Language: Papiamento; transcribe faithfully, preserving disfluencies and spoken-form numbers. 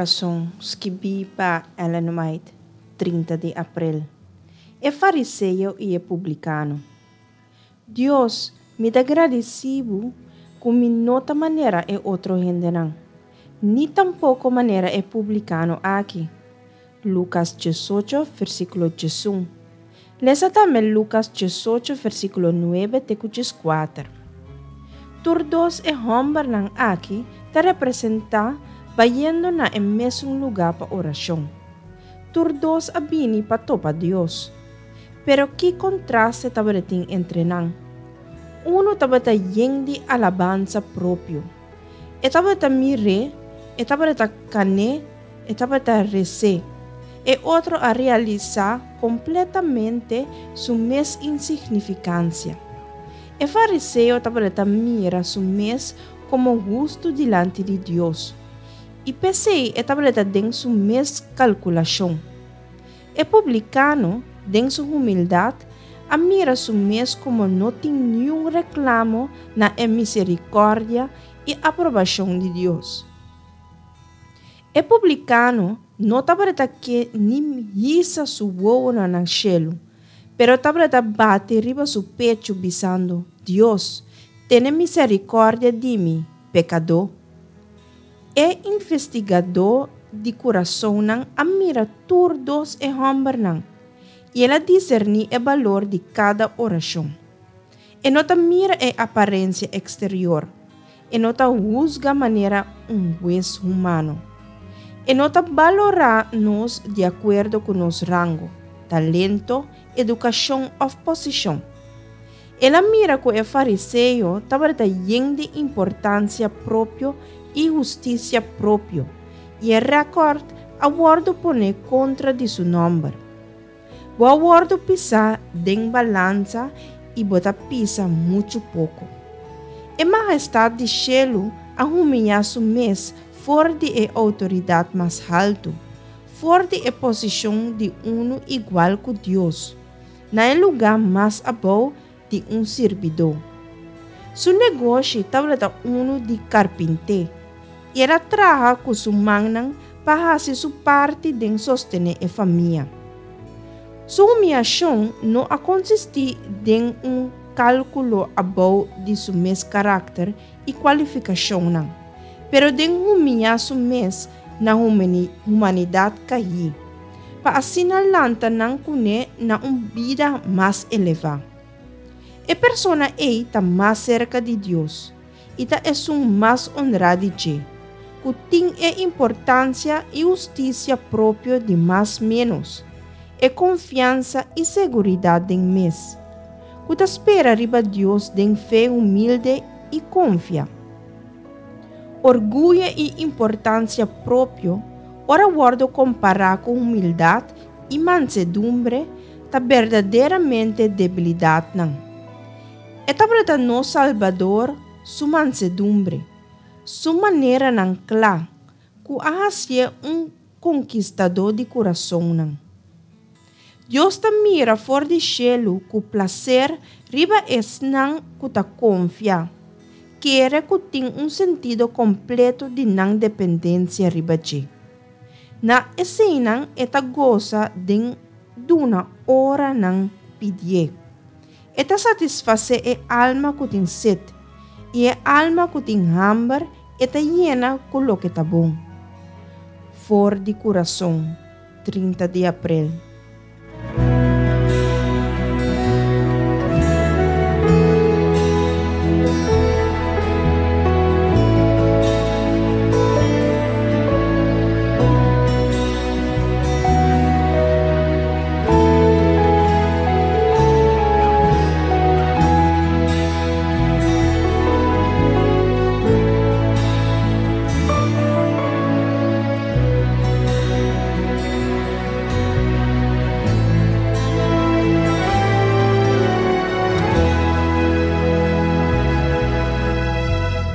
Kurason, skibí pa Ellen White, trinta di aprel. E fariseo i e publikano. Dios, mi ta gradisí Bo ku mi no ta manera e otro hendenan, ni tampoko manera e publikano aki. Lukas diesocho, versíkulo diesun. Lesa tambe Lukas diesocho, versíkulo nuebe te ku dieskuater. Tur dos e hòmbernan aki ta representá bayendo na e mesun lugá pa orashon. Tur dos a bini pa topa Dios. Pero ki kontraste tabatin entre nan. Uno tabata yen di alabansa propio. E tabata mir'é, e tabata kan'é, e tabata res'é. E otro a realisá kompletamente su mes insignifikansia. E fariseo tabata mira su mes komo hustu dilanti di Dios. I p'esei e tabata den su mes kalkulashon. E publikano, den su humildat, a mira su mes komo no tin ningun reklamo na e miserikòrdia i aprobashon di Dios. E publikano no tabata ke ni hisa su wowonan na shelu, pero tabata bati riba su pechu bisando, Dios, tene miserikòrdia di mi, pekadó. E investigadó di kurasonnan a mira tur dos e hòmbernan, i el a diserní e balor di kada orashon. E no ta mira e aparensia eksterior, e no ta husga manera un hues humano. E no ta balorá nos di akuerdo ku nos rango, talento, edukashon òf posishon. El a mira ku e fariseo tabata yen di importansia propio i hustisia propio, i e rekòrt a wòrdu poné kontra di su nòmber. Bo a wòrdu pisá den balansa i bo ta pisa muchu poko. E mahestat di shelu a humiliá su mes for di e outoridat mas haltu, for di e posishon di unu igual ku Dios, na e lugá mas abou di un sirbidó. Su negoshi tabata unu di karpinté, i el a traha ku su mannan pa hasi su parti den sostené e famia. Su humiliashon no a konsistí den un kálkulo abou di su mes karakter i kualifikashonnan, pero den humiliá su mes na humanidat kaí, pa asina lanta nan kuné na un bida mas elevá. E persona ei ta mas serka di Dios i ta esun mas honrá di dje, ku tin e importansia i hustisia propio di mas ménos, e konfiansa i seguridat den mes, ku ta spera riba Dios den fe humilde i konfia. Orguyo i importansia propio, ora wòrdu kompará ku humildat i mansedumbre, ta berdaderamente debilidatnan. E tabata nos Salbador su mansedumbre, su maneranan kla, ku a hasié un konkistadó di kurasonnan. Dios ta mira for di shelu ku plaser riba esnan ku ta konfia, kere ku tin un sentido kompleto di nan dependensia riba dje. Na eseinan e ta gosa den duna ora nan pidié. E ta satisfasé e alma ku tin set, i e alma ku tin hamber e ta yena ku loke ta bon. For di Kurason, trinta di aprel.